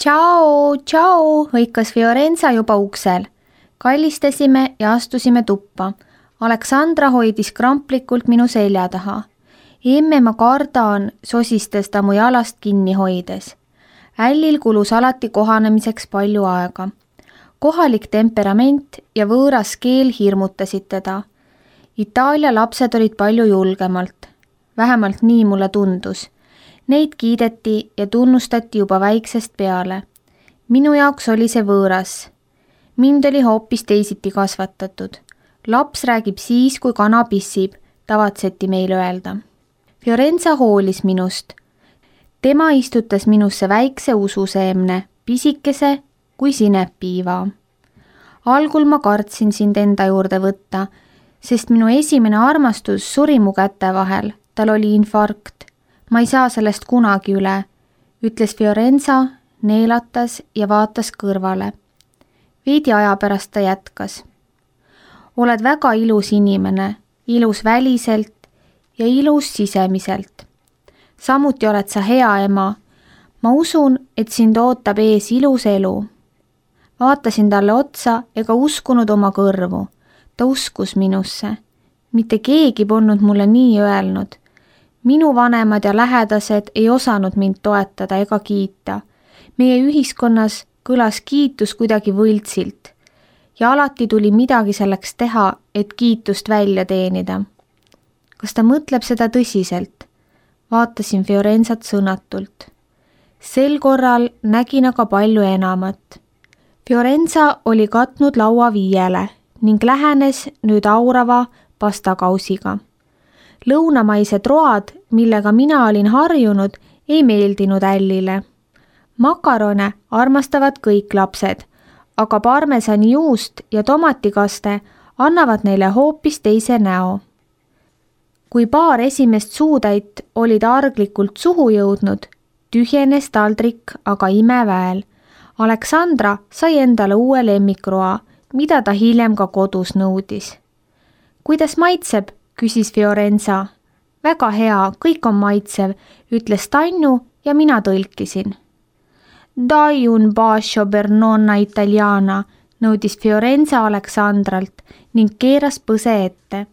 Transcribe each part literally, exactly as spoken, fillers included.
Tšau, tšau, hõikas Fiorenza juba uksel. Kallistasime ja astusime tuppa. Aleksandra hoidis kramplikult minu selja taha. Emme, ma kardan, sosistas ta mu jalast kinni hoides. Ällil kulus alati kohanemiseks palju aega. Kohalik temperament ja võõras keel hirmutasid teda. Itaalia lapsed olid palju julgemalt. Vähemalt nii mulle tundus. Neid kiideti ja tunnustati juba väiksest peale. Minu jaoks oli see võõras. Mind oli hoopis teisiti kasvatatud. Laps räägib siis, kui kana pissib, tavatseti meil öelda. Fiorenza hoolis minust. Tema istutas minusse väikse ususeemne, pisikese kui sinepiiva. Algul ma kartsin sind enda juurde võtta, sest minu esimene armastus suri mu käte vahel. Tal oli infarkt. Ma ei saa sellest kunagi üle, ütles Fiorenza, neelatas ja vaatas kõrvale. Veidi aja pärast ta jätkas. Oled väga ilus inimene, ilus väliselt ja ilus sisemiselt. Samuti oled sa hea ema. Ma usun, et sind ootab ees ilus elu. Vaatasin talle otsa ega uskunud oma kõrvu. Ta uskus minusse. Mitte keegi polnud mulle nii öelnud. Minu vanemad ja lähedased ei osanud mind toetada ega kiita. Meie ühiskonnas kõlas kiitus kuidagi võltsilt ja alati tuli midagi selleks teha, et kiitust välja teenida. Kas ta mõtleb seda tõsiselt? Vaatasin Fiorenzat sõnatult. Sel korral nägin aga palju enamat. Fiorenza oli katnud laua viiele ning lähenes nüüd aurava pastakausiga. Lõunamaised road, millega mina olin harjunud, ei meeldinud Ällile. Makarone armastavad kõik lapsed, aga parmesani juust ja tomatikaste annavad neile hoopis teise näo. Kui paar esimest suutäit olid arglikult suhu jõudnud, tühjenes taldrik aga imeväel. Aleksandra sai endale uue lemmikroa, mida ta hiljem ka kodus nõudis. Kuidas maitseb? Küsis Fiorenza. Väga hea, kõik on maitsev, ütles Tannu ja mina tõlkisin. Dai un bacio per nonna italiana, nõudis Fiorenza Aleksandralt ning keeras põse ette.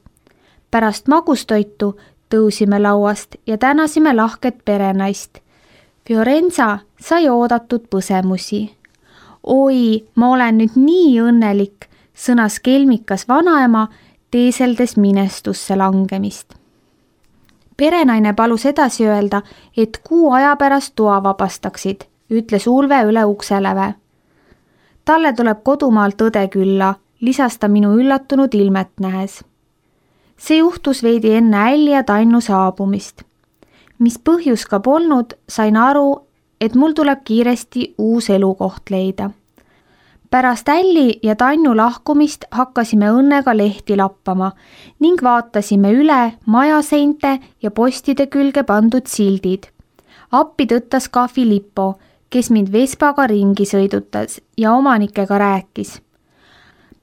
Pärast magustoitu tõusime lauast ja tänasime lahket perenaist. Fiorenza sai oodatud põsemusi. Oi, ma olen nüüd nii õnnelik, sõnas kelmikas vanaema, teeseldes minestusse langemist. Perenaine palus edasi öelda, et kuu aja pärast toa vabastaksid, ütles Ulve üle ukseläve. Talle tuleb kodumaalt õde külla, lisas ta minu üllatunud ilmet nähes. See juhtus veidi enne Älli ja Tannu saabumist. Mis põhjus ka polnud, sain aru, et mul tuleb kiiresti uus elukoht leida. Pärast Älli ja Tannu lahkumist hakkasime õnnega lehti lappama ning vaatasime üle majaseinte ja postide külge pandud sildid. Appi tõttas ka Filippo, kes mind Vespaga ringi sõidutas ja omanikega rääkis.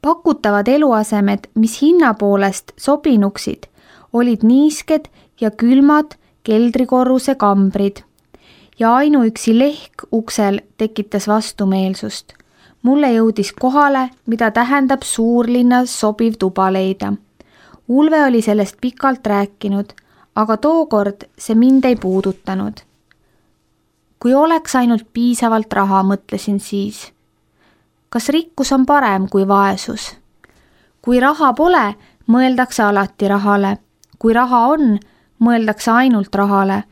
Pakutavad eluasemed, mis hinna poolest sobinuksid, olid niisked ja külmad keldrikorruse kambrid ja ainuüksi lehk uksel tekitas vastumeelsust. Mulle jõudis kohale, mida tähendab suurlinnas sobiv tuba leida. Ulve oli sellest pikalt rääkinud, aga tookord see mind ei puudutanud. Kui oleks ainult piisavalt raha, mõtlesin siis. Kas rikkus on parem kui vaesus? Kui raha pole, mõeldakse alati rahale. Kui raha on, mõeldakse ainult rahale.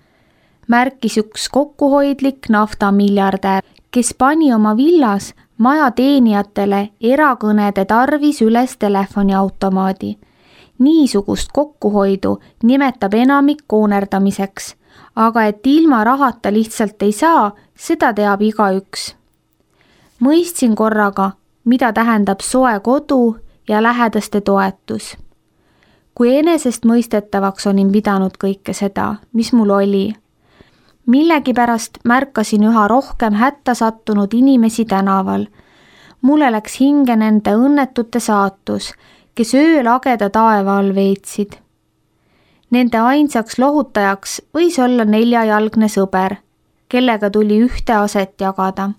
Märkis üks kokkuhoidlik naftamiljardär, kes pani oma villas maja teenijatele erakõnede tarvis üles telefoniautomaadi. Niisugust kokkuhoidu nimetab enamik koonerdamiseks, aga et ilma rahata lihtsalt ei saa, seda teab igaüks. Mõistsin korraga, mida tähendab soe kodu ja lähedaste toetus. Kui enesest mõistetavaks olin pidanud kõike seda, mis mul oli. Millegipärast märkasin üha rohkem hätta sattunud inimesi tänaval. Mulle läks hinge nende õnnetute saatus, kes öö lageda taeva all veetsid. Nende ainsaks lohutajaks võis olla neljajalgne sõber, kellega tuli ühte aset jagada.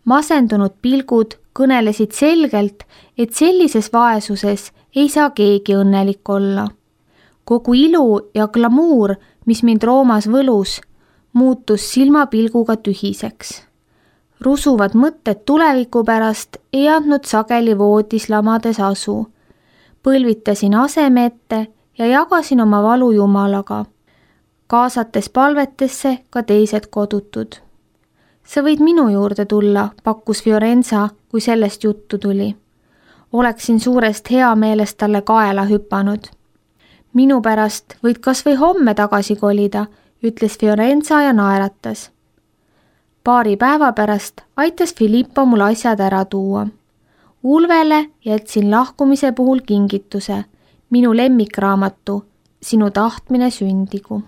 Masendunud pilgud kõnelesid selgelt, et sellises vaesuses ei saa keegi õnnelik olla. Kogu ilu ja glamuur, mis mind Roomas võlus, muutus silmapilguga tühiseks. Rusuvad mõtted tuleviku pärast ei andnud sageli voodis lamades asu. Põlvitasin aseme ette ja jagasin oma valu Jumalaga, kaasates palvetesse ka teised kodutud. Sa võid minu juurde tulla, pakkus Fiorenza, kui sellest juttu tuli. Oleksin suurest hea meelest talle kaela hüpanud. Minu pärast võid kas või homme tagasi kolida, ütles Fiorenza ja naeratas. Paari päeva pärast aitas Filippo mul asjad ära tuua. Ulvele jätsin lahkumise puhul kingituse, minu lemmikraamatu, Sinu tahtmine sündigu.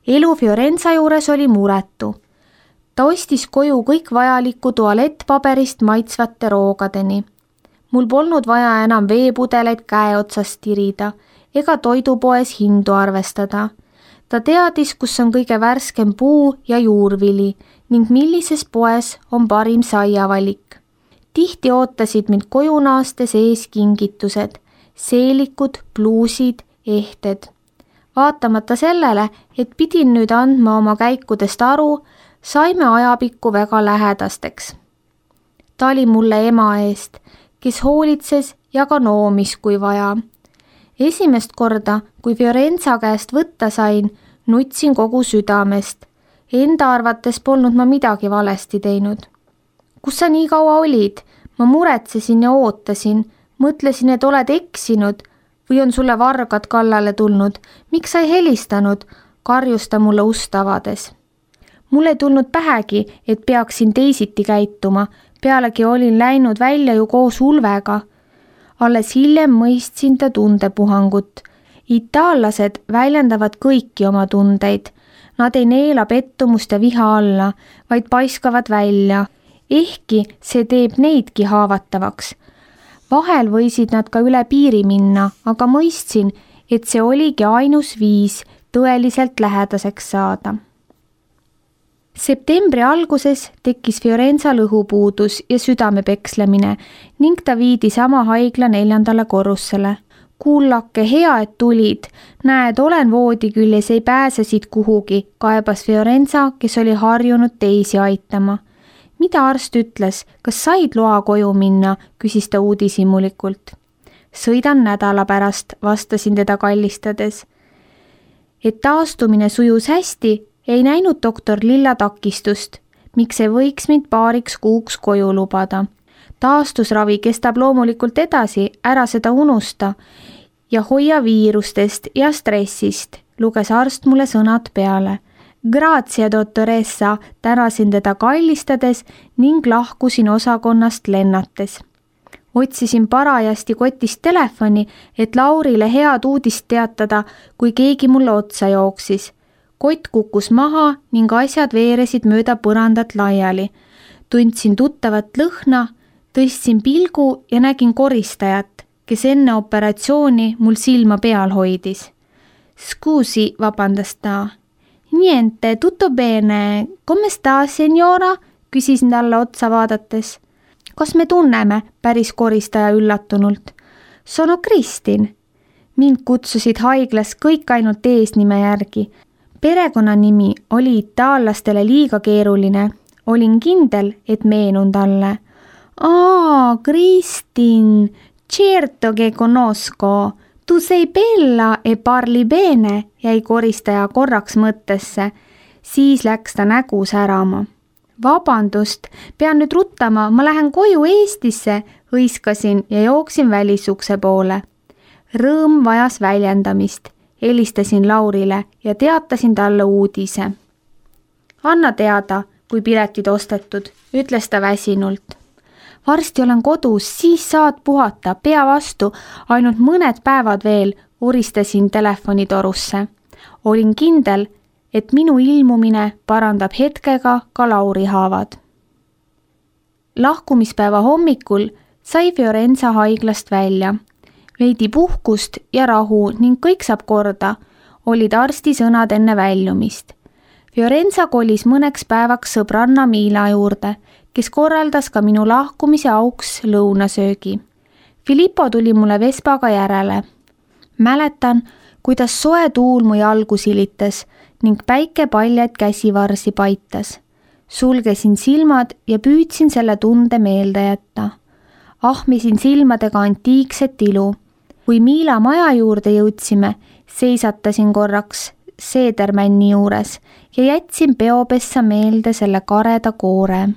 Elu Fiorenza juures oli muretu. Ta ostis koju kõik vajaliku tualettpaberist maitsvate roogadeni. Mul polnud vaja enam veepudeleid käe otsast tirida ega toidupoes hindu arvestada. Ta teadis, kus on kõige värskem puu ja juurvili ning millises poes on parim saiavalik. Tihti ootasid mind koju naastes ees kingitused, seelikud, pluusid, ehted. Vaatamata sellele, et pidin nüüd andma oma käikudest aru, saime ajapikku väga lähedasteks. Ta oli mulle ema eest, kes hoolitses ja ka noomis kui vaja. Esimest korda, kui Fiorenza käest võtta sain, nutsin kogu südamest. Enda arvates polnud ma midagi valesti teinud. Kus sa nii kaua olid? Ma muretsesin ja ootasin. Mõtlesin, et oled eksinud või on sulle vargad kallale tulnud. Miks sa ei helistanud? Karjus ta mulle ust avades. Mul ei tulnud pähegi, et peaksin teisiti käituma. Pealegi olin läinud välja ju koos Ulvega. Alles hiljem mõistsin ta tundepuhangut. Itaallased väljendavad kõiki oma tundeid. Nad ei neela pettumust ja viha alla, vaid paiskavad välja. Ehkki see teeb neidki haavatavaks. Vahel võisid nad ka üle piiri minna, aga mõistsin, et see oligi ainus viis tõeliselt lähedaseks saada. Septembri alguses tekkis Fiorenza lõhupuudus ja südamepekslemine ning ta viidi sama haigla neljandale korrussele. Kuullake, hea, et tulid. Näed, olen voodi küljes, ei pääse siit kuhugi, kaebas Fiorenza, kes oli harjunud teisi aitama. Mida arst ütles? Kas said loa koju minna? Küsis ta uudishimulikult. Sõidan nädala pärast, vastasin teda kallistades. Et taastumine sujus hästi, ei näinud doktor Lilla takistust, miks ei võiks mind paariks kuuks koju lubada. Taastusravi kestab loomulikult edasi, ära seda unusta ja hoia viirustest ja stressist, luges arst mulle sõnad peale. Grazie, dottoressa, tänasin teda kallistades ning lahkusin osakonnast lennates. Otsisin parajasti kotist telefoni, et Laurile head uudist teatada, kui keegi mulle otsa jooksis. Kott kukkus maha ning asjad veeresid mööda põrandat laiali. Tundsin tuttavat lõhna, tõstsin pilgu ja nägin koristajat, kes enne operatsiooni mul silma peal hoidis. Scusi, vabandas ta. Niente, tutto bene. Come sta, signora? Küsisin talle otsa vaadates. Kas me tunneme? Päris koristaja üllatunult. Sono Kristin. Mind kutsusid haiglas kõik ainult eesnime järgi. Perekonnanimi oli itaallastele liiga keeruline. Olin kindel, et meenun talle. Aa, Kristin, certo che conosco. Tu sei bella e parli bene, jäi koristaja korraks mõttesse. Siis läks ta nägu särama. Vabandust, pean nüüd ruttama, ma lähen koju Eestisse, hõiskasin ja jooksin välisukse poole. Rõõm vajas väljendamist. Helistasin Laurile ja teatasin talle uudise. Anna teada, kui piletid ostetud, ütles ta väsinult. Varsti olen kodus, siis saad puhata, pea vastu, ainult mõned päevad veel, uristasin telefonitorusse. Olin kindel, et minu ilmumine parandab hetkega ka Lauri haavad. Lahkumispäeva hommikul sai Fiorenza haiglast välja. Veidi puhkust ja rahu ning kõik saab korda, olid arsti sõnad enne väljumist. Fiorenza kolis mõneks päevaks sõbranna Miila juurde, kes korraldas ka minu lahkumise auks lõunasöögi. Filippo tuli mulle Vespaga järele. Mäletan, kuidas soe tuul mu jalgu silitas ning päike paljaid käsivarsi paitas. Sulgesin silmad ja püüdsin selle tunde meelde jätta. Ahmisin silmadega antiikset ilu. Kui Miila maja juurde jõudsime, seisatasin korraks seedermänni juures ja jätsin peopessa meelde selle kareda koore.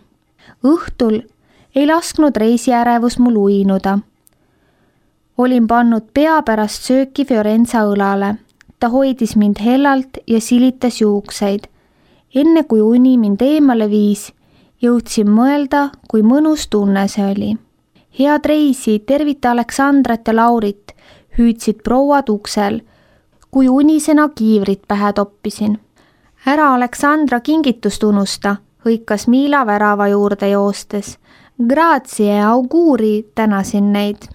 Õhtul ei lasknud reisiärevus mul uinuda. Olin pannud pea pärast sööki Fiorenza õlale. Ta hoidis mind hellalt ja silitas juukseid. Enne kui uni mind eemale viis, jõudsin mõelda, kui mõnus tunne see oli. Head reisi, tervita Aleksandrat ja Laurit, hüüdsid prouad uksel, kui unisena kiivrit pähe toppisin. Ära Aleksandra kingitust unusta, hõikas Miila värava juurde joostes. Grazie, auguri, tänasin neid.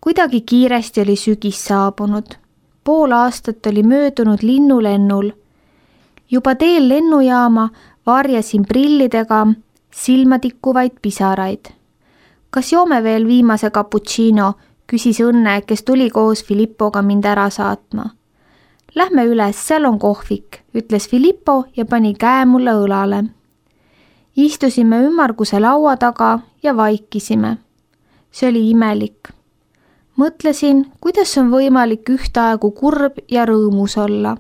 Kuidagi kiiresti oli sügis saabunud. Pool aastat oli möödunud linnulennul. Juba teel lennujaama varjasin prillidega silmatikkuvaid pisaraid. Kas joome veel viimase cappuccino, küsis Õnne, kes tuli koos Filippoga mind ära saatma. Lähme üles, seal on kohvik, ütles Filippo ja pani käe mulle õlale. Istusime ümmarguse laua taga ja vaikisime. See oli imelik. Mõtlesin, kuidas on võimalik ühtaegu kurb ja rõõmus olla.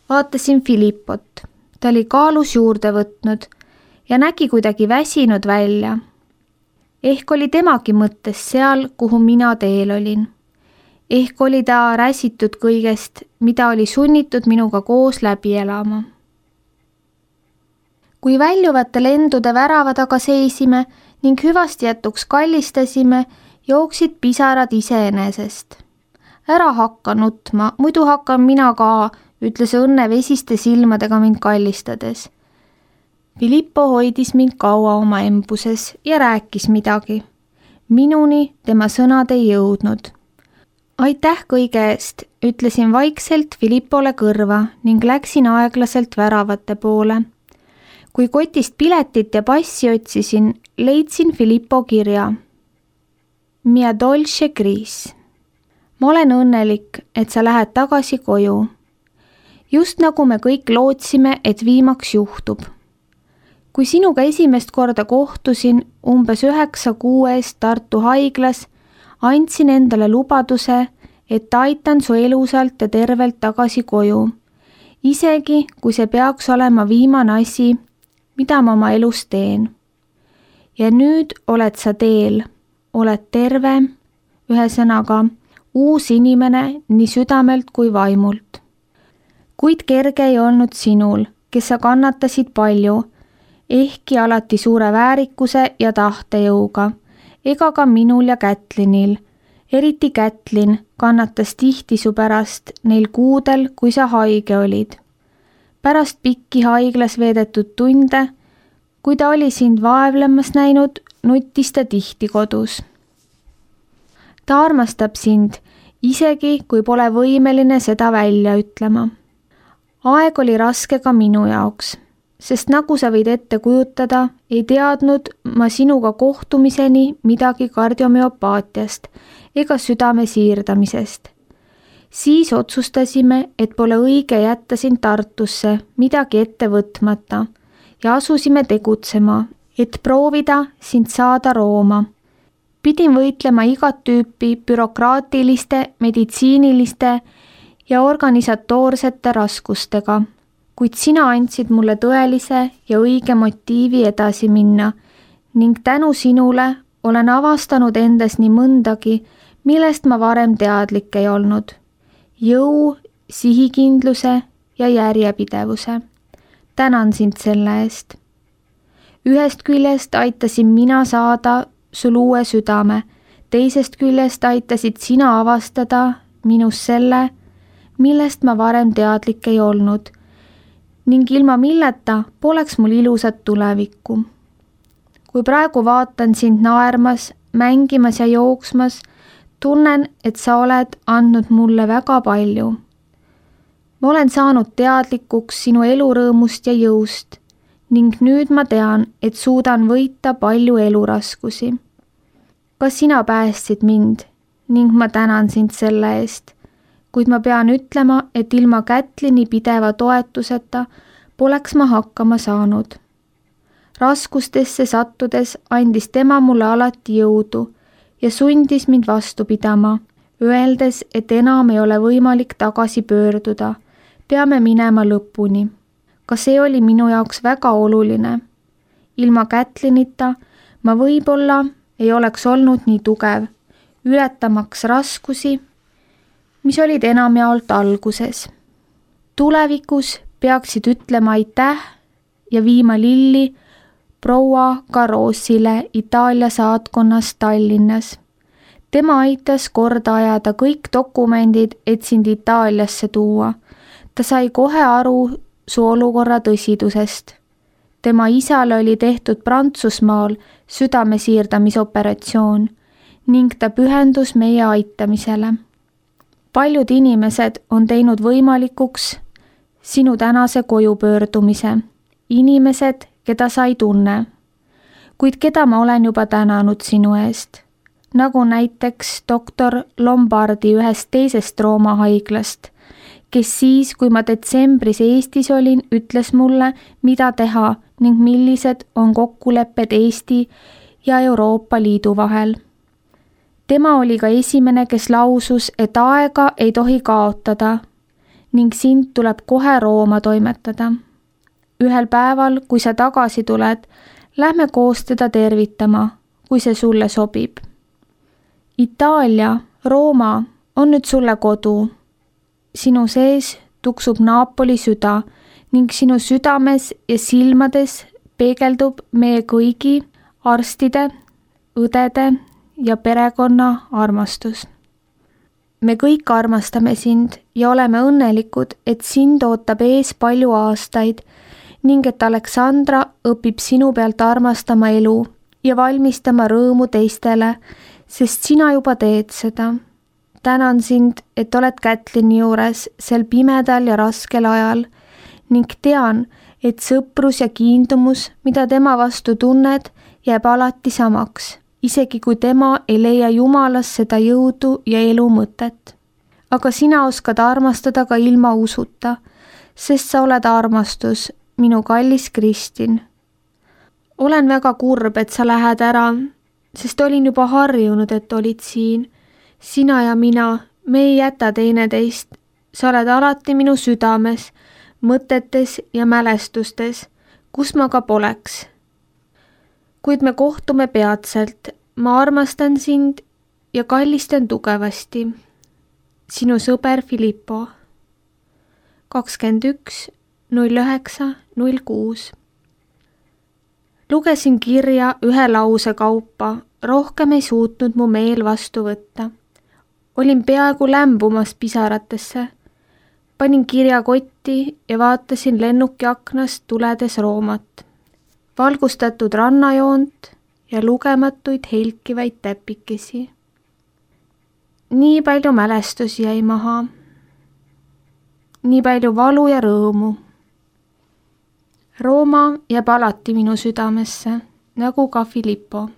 Vaatasin Filippot. Ta oli kaalus juurde võtnud ja nägi kuidagi väsinud välja. Ehk oli temagi mõttes seal, kuhu mina teel olin. Ehk oli ta räsitud kõigest, mida oli sunnitud minuga koos läbi elama. Kui väljuvate lendude värava taga seisime ning hüvasti jätuks kallistasime, jooksid pisarad iseenesest. Ära hakka nutma, muidu hakkan mina ka, ütles Õnne vesiste silmadega mind kallistades. Filippo hoidis mind kaua oma embuses ja rääkis midagi. Minuni tema sõnad ei jõudnud. Aitäh kõige eest, ütlesin vaikselt Filippole kõrva ning läksin aeglaselt väravate poole. Kui kotist piletit ja passi otsisin, leidsin Filippo kirja. Mia dolce Gris. Ma olen õnnelik, et sa lähed tagasi koju. Just nagu me kõik lootsime, et viimaks juhtub. Kui sinuga esimest korda kohtusin umbes üheksa kuu eest Tartu haiglas, andsin endale lubaduse, et aitan su elusalt ja tervelt tagasi koju. Isegi, kui see peaks olema viimane asi, mida ma oma elus teen. Ja nüüd oled sa teel. Oled terve, ühesõnaga uus inimene nii südamelt kui vaimult. Kuid kerge ei olnud sinul, kes sa kannatasid palju, ehkki alati suure väärikuse ja tahtejõuga, ega ka minul ja Kätlinil. Eriti Kätlin kannatas tihti su pärast neil kuudel, kui sa haige olid. Pärast pikki haiglas veedetud tunde, kui ta oli sind vaevlemas näinud, nuttis ta tihti kodus. Ta armastab sind, isegi kui pole võimeline seda välja ütlema. Aeg oli raske ka minu jaoks, sest nagu sa võid ette kujutada, ei teadnud ma sinuga kohtumiseni midagi kardiomüopaatiast ega südame siirdamisest. Siis otsustasime, et pole õige jätta sind Tartusse midagi ette võtmata ja asusime tegutsema, et proovida sind saada Rooma. Pidin võitlema igat tüüpi bürokraatiliste, meditsiiniliste ja organisatoorsete raskustega, kuid sina andsid mulle tõelise ja õige motiivi edasi minna ning tänu sinule olen avastanud endas nii mõndagi, millest ma varem teadlik ei olnud. Jõu, sihikindluse ja järjepidevuse. Tänan sind selle eest. Ühest küljest aitasin mina saada sul uue südame, teisest küljest aitasid sina avastada minus selle, millest ma varem teadlik ei olnud, ning ilma milleta poleks mul ilusat tulevikku. Kui praegu vaatan sind naermas, mängimas ja jooksmas, tunnen, et sa oled andnud mulle väga palju. ma olen saanud teadlikuks sinu elurõõmust ja jõust ning nüüd ma tean, et suudan võita palju eluraskusi. Ka sina päästsid mind ning ma tänan sind selle eest, kuid ma pean ütlema, et ilma Kätlini pideva toetuseta poleks ma hakkama saanud. Raskustesse sattudes andis tema mulle alati jõudu ja sundis mind vastu pidama, öeldes, et enam ei ole võimalik tagasi pöörduda, peame minema lõpuni. Ka see oli minu jaoks väga oluline. Ilma Kätlinita ma võib-olla ei oleks olnud nii tugev, ületamaks raskusi, mis olid enamjaolt alguses. Tulevikus peaksid ütlema aitäh ja viima lilli proua Carossile Itaalia saatkonnas Tallinnas. Tema aitas korda ajada kõik dokumendid, et sind Itaaliasse tuua. Ta sai kohe aru su olukorra tõsidusest. Tema isale oli tehtud Prantsusmaal südamesiirdamisoperatsioon ning ta pühendus meie aitamisele. Paljud inimesed on teinud võimalikuks sinu tänase koju pöördumise. Inimesed, keda sa ei tunne, kuid keda ma olen juba tänanud sinu eest, nagu näiteks doktor Lombardi ühest teisest Rooma haiglast, kes siis, kui ma detsembris Eestis olin, ütles mulle, mida teha ning millised on kokkulepped Eesti ja Euroopa Liidu vahel. Tema oli ka esimene, kes lausus, et aega ei tohi kaotada ning sind tuleb kohe Rooma toimetada. Ühel päeval, kui sa tagasi tuled, lähme koos teda tervitama, kui see sulle sobib. Itaalia, Rooma on nüüd sulle kodu. Sinu sees tuksub Napoli süda ning sinu südames ja silmades peegeldub meie kõigi arstide, õdede ja perekonna armastus. Me kõik armastame sind ja oleme õnnelikud, et sind ootab ees palju aastaid ning et Aleksandra õpib sinu pealt armastama elu ja valmistama rõõmu teistele, sest sina juba teed seda. Tänan sind, et oled Kätlini juures sel pimedal ja raskel ajal ning tean, et sõprus ja kiindumus, mida tema vastu tunned, jääb alati samaks, isegi kui tema ei leia Jumalas seda jõudu ja elu mõtet. Aga sina oskad armastada ka ilma usuta, sest sa oled armastus, minu kallis Kristin. Olen väga kurb, et sa lähed ära, sest olin juba harjunud, et olid siin. Sina ja mina, me ei jäta teineteist. Sa oled alati minu südames, mõtetes ja mälestustes, kus ma ka poleks. Kuid me kohtume peatselt, ma armastan sind ja kallistan tugevasti. Sinu sõber Filippo. kakskümmend üks null üheksa null kuus. Lugesin kirja ühe lause kaupa, rohkem ei suutnud mu meel vastu võtta. Olin peaaegu lämbumas pisaratesse. Panin kirja kotti ja vaatasin lennuki aknast tuledes Roomat. Valgustatud rannajoont ja lugematuid helkivaid täpikesi. Nii palju mälestusi jäi maha. Nii palju valu ja rõõmu. Rooma jääb alati minu südamesse, nagu ka Filippo.